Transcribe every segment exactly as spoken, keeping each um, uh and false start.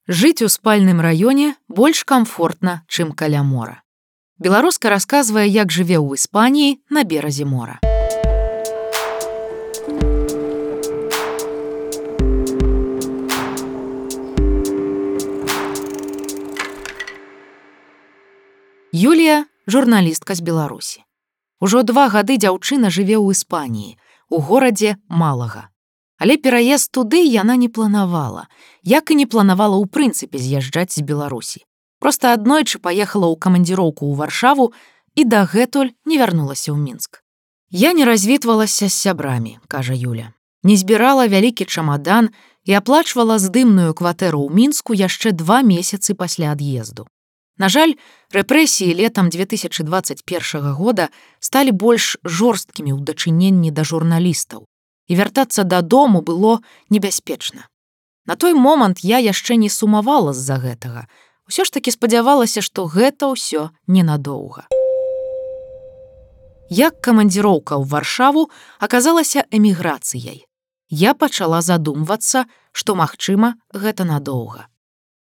Жыць у спальным раёне больш камфортна, чым каля мора. Беларуска расказвае, як жыве ў Іспаніі на беразе мора. Юлія – журналістка з Беларусі. Ужо два гады дзяўчына жыве ў Іспаніі, у горадзе Малага. Але пераезд туды яна не планавала, як і не планавала ў прынцыпе з'язджаць з Беларусі. Проста аднойчы паехала ў камандзіроўку ў Варшаву і дагэтуль не вярнулася ў Мінск. Я не развітвалася з сябрамі, кажа Юля. Не збірала вялікі чамадан і аплачвала здымную кватэру ў Мінску яшчэ два месяцы пасля ад'езду. На жаль, рэпрэсіі летам две тысячы дваццаць першага года сталі больш жорсткімі ў дачыненні да журналістаў, і вяртацца дадому было небяспечна. На той момант я яшчэ не сумавала з-за гэтага. Усё ж такі спадзявалася, што гэта ўсё ненадоўга. Як камандзіроўка ў Варшаву аказалася эміграцыяй. Я пачала задумвацца, што, магчыма, гэта надоўга.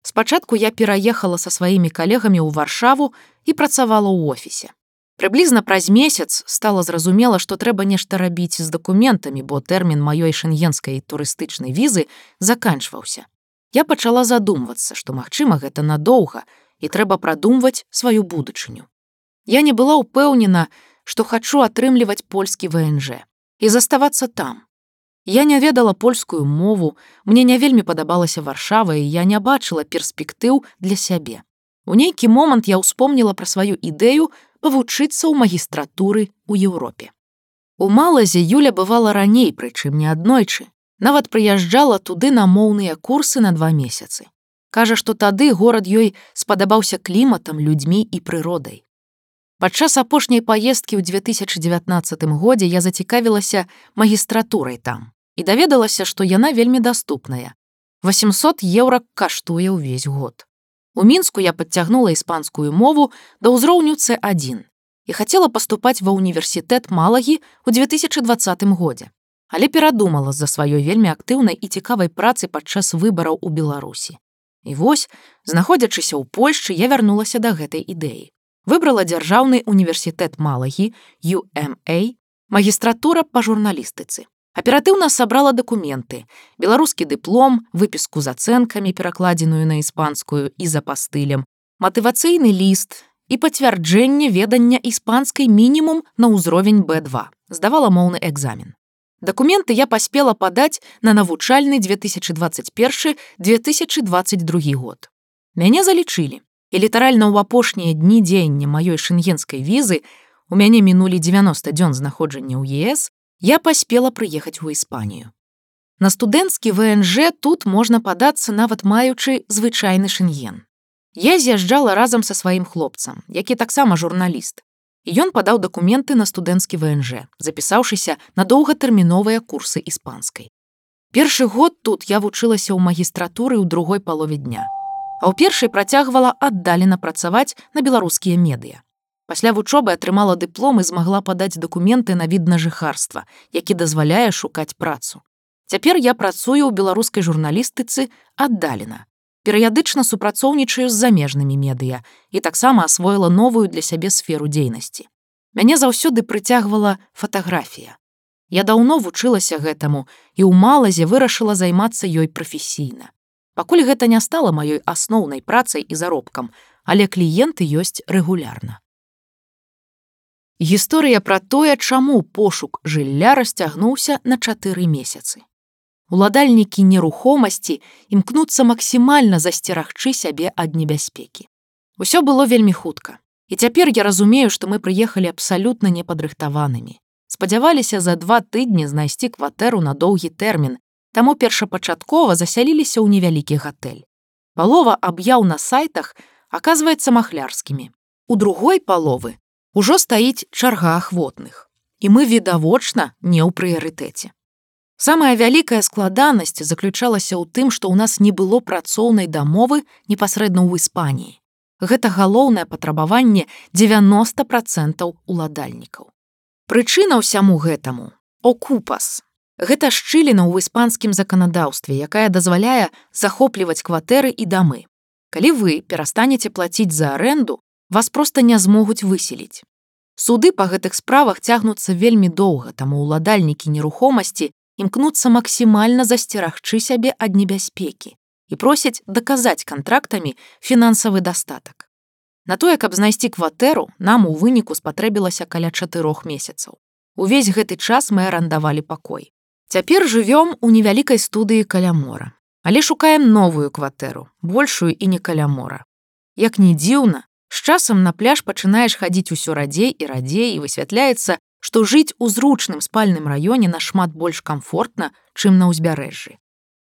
Спачатку я пераехала са сваімі калегамі ў Варшаву і працавала ў офісе. Прыблізна праз месяц стала зразумела, што трэба нешта рабіць з дакументамі, бо тэрмін маёй шэнгенскай турыстычнай візы заканчваўся. Я пачала задумвацца, што, магчыма, гэта надоўга, і трэба прадумваць сваю будучыню. Я не была ўпэўнена, што хачу атрымліваць польскі вэ эн жэ і заставацца там. Я не ведала польскую мову, мне не вельмі падабалася Варшава, і я не бачыла перспектыў для сябе. У нейкі момант я ўспомніла пра сваю ідэю павучыцца ў магістратуры ў Еўропе. У Малаге Юля бывала раней, прычым не аднойчы. Нават прыязджала туды на моўныя курсы на два месяцы. Кажа, што тады горад ёй спадабаўся кліматам, людзьмі і прыродай. Падчас апошняй паездкі ў две тысячы дзевятнаццатым годзе я зацікавілася магістратурай там і даведалася, што яна вельмі даступная. васемсот еўра каштуе ўвесь год. У Мінску я падцягнула іспанскую мову да ўзроўню цэ адзін і хацела паступаць ва ўніверсітэт Малагі ў две тысячы дваццатым годзе. Але перадумала з-за сваёй вельмі актыўнай і цікавай працы падчас выбараў у Беларусі. І вось, знаходзячыся ў Польшчы, я вярнулася да гэтай ідэі. Выбрала дзяржаўны універсітэт Малагі, ю эм эй, магістратура па журналістыцы. Аператыўна сабрала дакументы, беларускі дыплом, выпіску з ацэнкамі, перакладзеную на іспанскую і з апастылем, матывацыйны ліст і пацвярджэнне ведання іспанскай мінімум на ўзровень бэ два. Здавала моўны экзамен. Дакументы я паспела падаць на навучальны две тысячы дваццаць першы - две тысячы дваццаць другі год. Мяне залічылі, і літаральна ў апошнія дні дзеяння маёй шэнгенскай візы, у мяне мінулі дзевяноста дзён знаходжання ў е эс, я паспела прыехаць у Іспанію. На студэнцкі вэ эн жэ тут можна падацца, нават маючы звычайны шэнген. Я з'язджала разам са сваім хлопцам, які таксама журналіст. І ён падаў дакументы на студэнцкі вэ эн жэ, запісаўшыся на доўгатэрміновыя курсы іспанскай. Першы год тут я вучылася ў магістратуры ў другой палове дня, а ў першай працягвала аддалена працаваць на беларускія медыя. Пасля вучобы атрымала дыплом і змагла падаць дакументы на від на жыхарства, які дазваляе шукаць працу. Цяпер я працую ў беларускай журналістыцы аддалена. Перыядычна супрацоўнічаю з замежнымі медыя і таксама асвоіла новую для сябе сферу дзейнасці. Мяне заўсёды прыцягвала фатаграфія. Я даўно вучылася гэтаму і ў Малаге вырашыла займацца ёй прафесійна. Пакуль гэта не стала маёй асноўнай працай і заробкам, але кліенты ёсць рэгулярна. Гісторыя пра тое, чаму пошук жылля расцягнуўся на чатыры месяцы. Уладальнікі нерухомасці імкнуцца максімальна засцерагчы сябе ад небяспекі. Усё было вельмі хутка. І цяпер я разумею, што мы прыехалі абсалютна непадрыхтаванымі. Спадзяваліся за два тыдні знайсці кватэру на доўгі тэрмін, таму першапачаткова засяліліся ў невялікі гатэль. Палова аб'яў на сайтах аказваецца махлярскімі. У другой паловы ужо стаіць чарга ахвотных, і мы відавочна не ў прыярытэце. Самая вялікая складанасць заключалася ў тым, што ў нас не было працоўнай дамовы непасрэдна ў Іспаніі. Гэта галоўнае патрабаванне дзевяноста працэнтаў уладальнікаў. Прычына ўсяму гэтаму – окупас. Гэта шчыліна ў іспанскім заканадаўстве, якая дазваляе захопліваць кватэры і дамы. Калі вы перастанеце плаціць за арэнду, вас проста не змогуць выселіць. Суды па гэтых справах цягнуцца вельмі доўга, таму ўладальнікі нерухомасці імкнуцца максімальна засцерагчы сябе ад небяспекі і просяць даказаць кантрактамі фінансавы дастатак. На тое, каб знайсці кватэру, нам у выніку спатрэбілася каля чатырох месяцаў. Увесь гэты час мы арандавалі пакой. Цяпер жывём у невялікай студыі каля мора. Але шукаем новую кватэру, большую і не каля мора. Як ні дзіўна, з часам на пляж пачынаеш хадзіць усё радзей і радзей, і высвятляецца, што жыць у зручным спальным раёне нашмат больш камфортна, чым на ўзбярэжжы.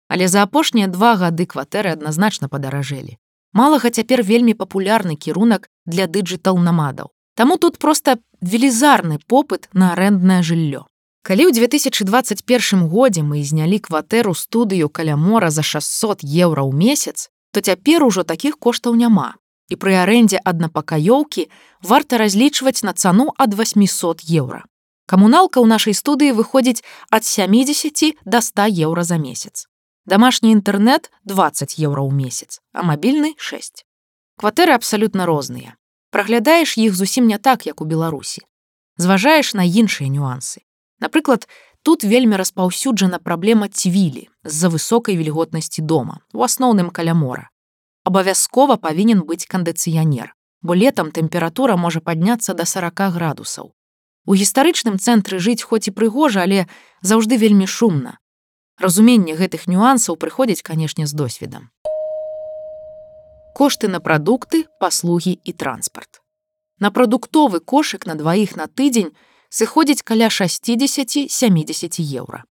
Але за апошнія два гады кватэры адназначна падаражэлі. Малага цяпер вельмі папулярны кірунак для дыджытал-намадаў. Таму тут проста велізарны попыт на арэнднае жыллё. Калі ў две тысячы дваццаць першым годзе мы знялі кватэру студыю каля мора за шэсцьсот еўра ў месяц, то цяпер ужо такіх коштаў няма. І пры арэндзе аднапакаёўкі варта разлічваць на цану ад восьмісот еўра. Камуналка ў нашай студыі выходзіць ад сямідзесяці да ста еўра за месяц. Дамашні інтэрнэт дваццаць еўра ў месяц, а мабільны шэсць. Кватэры абсалютна розныя. Праглядаеш іх зусім не так, як у Беларусі. Зважаеш на іншыя нюансы. Напрыклад, тут вельмі распаўсюджана праблема цвілі з-за высокай вільготнасці дома, у асноўным каля мора. Абавязкова павінен быць кандыцыянер, бо летам тэмпература можа падняцца да сорока градусаў. У гістарычным цэнтры жыць хоць і прыгожа, але заўжды вельмі шумна. Разуменне гэтых нюансаў прыходзіць, канешне, з досведам. Кошты на прадукты, паслугі і транспарт. На прадуктовы кошык на дваіх на тыдзень сыходзіць каля шэсцьдзесят-сямідзесят еўра.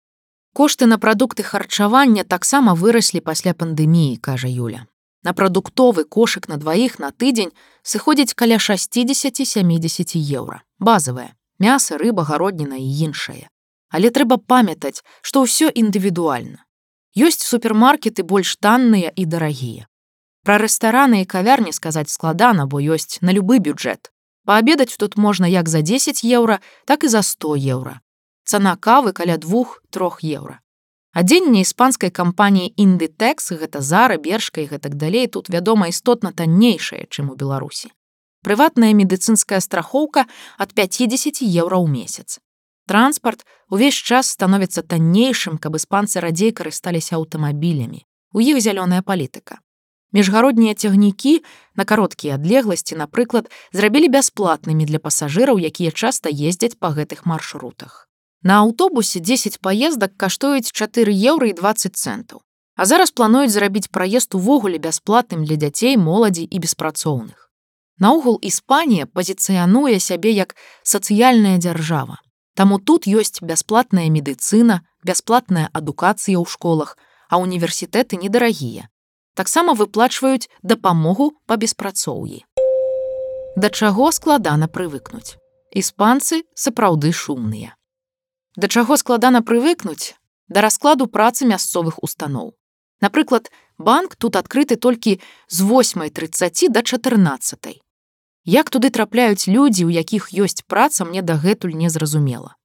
Кошты на прадукты харчавання таксама выраслі пасля пандэміі, кажа Юля. На прадуктовы кошык на дваіх на тыдзень сыходзіць каля шэсцьдзесят-сямідзесят еўра. Базавае – мяса, рыба, гародніна і іншае. Але трэба памятаць, што ўсё індывідуальна. Ёсць супермаркеты больш танныя і дарагія. Пра рэстараны і кавярні сказаць складана, бо ёсць на любы бюджэт. Паабедаць тут можна як за дзесяць еўра, так і за сто еўра. Цана кавы каля двух-трох еўра. Адзенне іспанскай кампаніі Inditex, гэта Зара, Бершка і гэтак далей, тут, вядома, істотна таннейшае, чым у Беларусі. Прыватная медыцынская страхоўка ад пяцідзесяці еўра ў месяц. Транспарт увесь час становіцца таннейшым, каб іспанцы радзей карысталіся аўтамабілямі. У іх зялёная палітыка. Міжгароднія цягнікі на кароткія адлегласці, напрыклад, зрабілі бясплатнымі для пасажыраў, якія часта ездзяць па гэтых маршрутах. На аўтобусе дзесяць паездак каштуюць чатыры еўры і дваццаць цэнтаў. А зараз плануюць зрабіць праезд увогуле бясплатным для дзяцей, моладзі і беспрацоўных. Наогул Іспанія пазіцыянуе сябе як сацыяльная дзяржава. Таму тут ёсць бясплатная медыцына, бясплатная адукацыя ў школах, а універсітэты недарагія. Таксама выплачваюць дапамогу па беспрацоўі. Да чаго складана прывыкнуць? Іспанцы сапраўды шумныя. Да чаго складана прывыкнуць? Да раскладу працы мясцовых устаноў. Напрыклад, банк тут адкрыты толькі з восьмай трыццаці да чатырнаццатай. Як туды трапляюць людзі, у якіх ёсць праца, мне дагэтуль незразумела.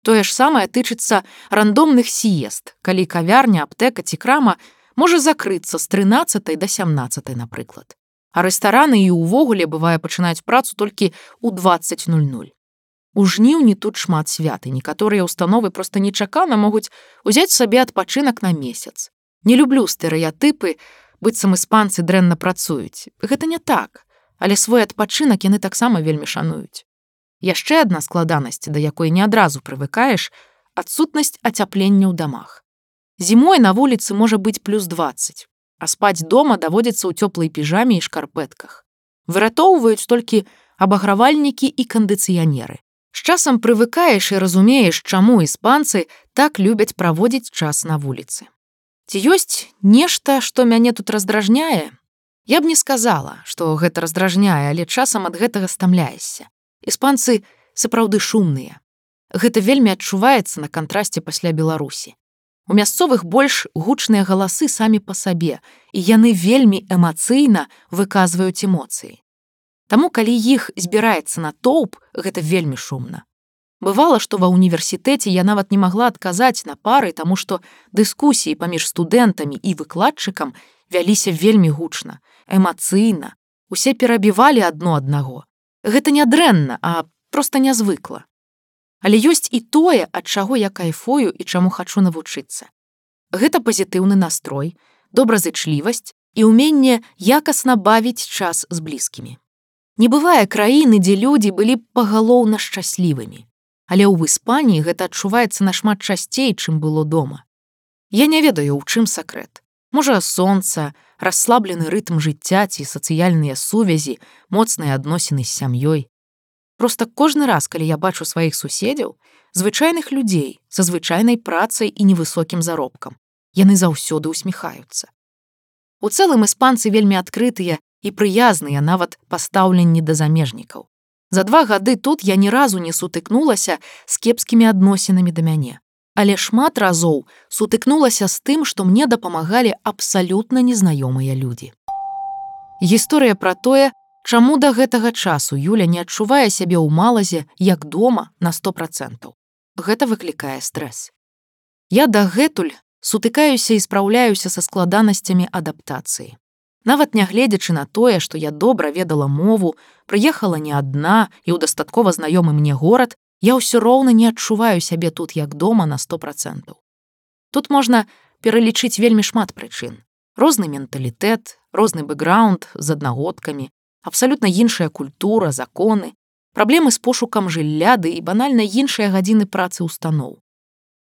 Тое ж самае тычыцца рандомных сіест, калі кавярня, аптэка ці крама можа закрыцца з трынаццатай да сямнаццатай, напрыклад. А рэстараны і ўвогуле, бывае, пачынаюць працу толькі ў дваццаць нуль-нуль. У жніўні тут шмат свят, і некаторыя ўстановы проста нечакана могуць узяць сабе адпачынак на месяц. Не люблю стэрэатыпы, быццам іспанцы дрэнна працуюць. Гэта не так, але свой адпачынак яны таксама вельмі шануюць. Яшчэ адна складанасць, да якой не адразу прывыкаеш – адсутнасць ацяплення ў дамах. Зімой на вуліцы можа быць плюс дваццаць, а спаць дома даводзіцца ў цёплай піжаме і шкарпэтках. Выратоўваюць толькі абагравальнікі і кандыцыянеры. З часам прывыкаеш і разумееш, чаму іспанцы так любяць праводзіць час на вуліцы. Ці ёсць нешта, што мяне тут раздражняе? Я б не сказала, што гэта раздражняе, але часам ад гэтага стамляешся. Іспанцы сапраўды шумныя. Гэта вельмі адчуваецца на кантрасце пасля Беларусі. У мясцовых больш гучныя галасы самі па сабе, і яны вельмі эмацыйна выказваюць эмоцыі. Таму, калі іх збіраецца натоўп, гэта вельмі шумна. Бывала, што ва ўніверсітэце я нават не магла адказаць на пары, таму што дыскусіі паміж студэнтамі і выкладчыкам вяліся вельмі гучна, эмацыйна. Усе перабівалі адно аднаго. Гэта не дрэнна, а проста нязвыкла. Але ёсць і тое, ад чаго я кайфую і чаму хачу навучыцца. Гэта пазітыўны настрой, добразычлівасць і ўменне якасна бавіць час з блізкімі. Не бывае краіны, дзе людзі былі пагалоўна шчаслівымі. Але ў Іспаніі гэта адчуваецца нашмат часцей, чым было дома. Я не ведаю, у чым сакрэт. Можа, сонца, расслаблены рытм жыцця ці сацыяльныя сувязі, моцныя адносіны з сям'ёй. Проста кожны раз, калі я бачу сваіх суседзяў, звычайных людзей са звычайнай працай і невысокім заробкам, яны заўсёды усміхаюцца. У цэлым іспанцы вельмі адкрытыя і прыязныя нават пастаўленні да замежнікаў. За два гады тут я ні разу не сутыкнулася з кепскімі адносінамі да мяне. Але шмат разоў сутыкнулася з тым, што мне дапамагалі абсалютна незнаёмыя людзі. Гісторыя пра тое, чаму да гэтага часу Юля не адчувае сябе ў Малаге як дома на сто працэнтаў. Гэта выклікае стрэс. Я дагэтуль сутыкаюся і спраўляюся са складанасцямі адаптацыі. Нават нягледзячы на тое, што я добра ведала мову, прыехала не адна і ў дастаткова знаёмы мне горад, я ўсё роўна не адчуваю сябе тут як дома на сто працэнтаў. Тут можна пералічыць вельмі шмат прычын. Розны менталітэт, розны бэкграунд з аднагодкамі, абсалютна іншая культура, законы, праблемы з пошукам жылля ды і банальна іншыя гадзіны працы ўстаноў.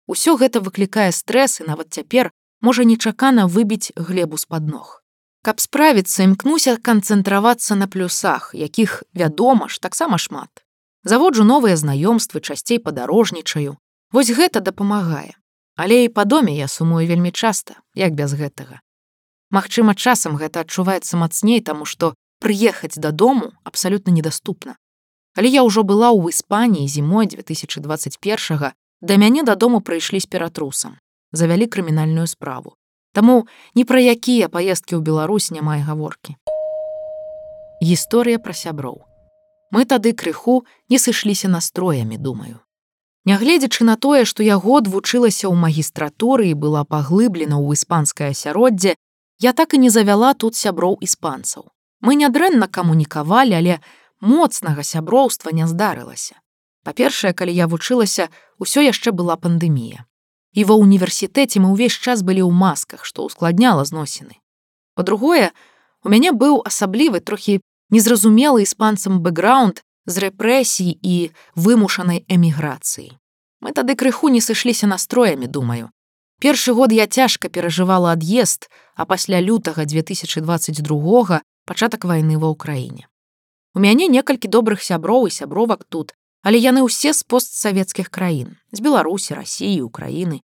Усё гэта выклікае стрэс і нават цяпер можа нечакана выбіць глебу з-пад ног. Каб справіцца, імкнуся канцэнтравацца на плюсах, якіх, вядома ж, таксама шмат. Заводжу новыя знаёмствы, часцей падарожнічаю. Вось гэта дапамагае. Але і па доме я сумую вельмі часта, як без гэтага. Магчыма, часам гэта адчуваецца мацней, таму што прыехаць дадому абсалютна недаступна. Калі я ўжо была ў Іспаніі зімой две тысячы дваццаць першага, да мяне дадому прыйшлі з ператрусам, завялі крымінальную справу. Таму ні пра якія паездкі ў Беларусь няма і гаворкі. Гісторыя пра сяброў. Мы тады крыху не сышліся настроямі, думаю. Нягледзячы на тое, што я год вучылася ў магістратуры і была паглыблена ў іспанскае асяроддзе, я так і не завяла тут сяброў іспанцаў. Мы нядрэнна камунікавалі, але моцнага сяброўства не здарылася. Па-першае, калі я вучылася, усё яшчэ была пандэмія. І ва ўніверсітэце мы ўвесь час былі ў масках, што ўскладняла зносіны. Па-другое, у мяне быў асаблівы, трохі незразумелы іспанцам бэкграунд з рэпрэсій і вымушанай эміграцыі. Мы тады крыху не сышліся настроямі, думаю. Першы год я цяжка перажывала ад'езд, а пасля лютага две тысячы дваццаць другога пачатак вайны ва ўкраіне. У мяне некалькі добрых сяброў і сябровак тут, але яны ўсе з постсавецкіх краін, з Беларусі, Расіі, Украіны.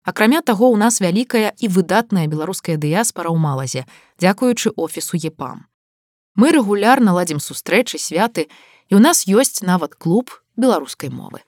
Акрамя таго, у нас вялікая і выдатная беларуская дыяспара ў Малаге, дзякуючы офісу ЕПАМ. Мы рэгулярна ладзім сустрэчы, святы, і ў нас ёсць нават клуб беларускай мовы.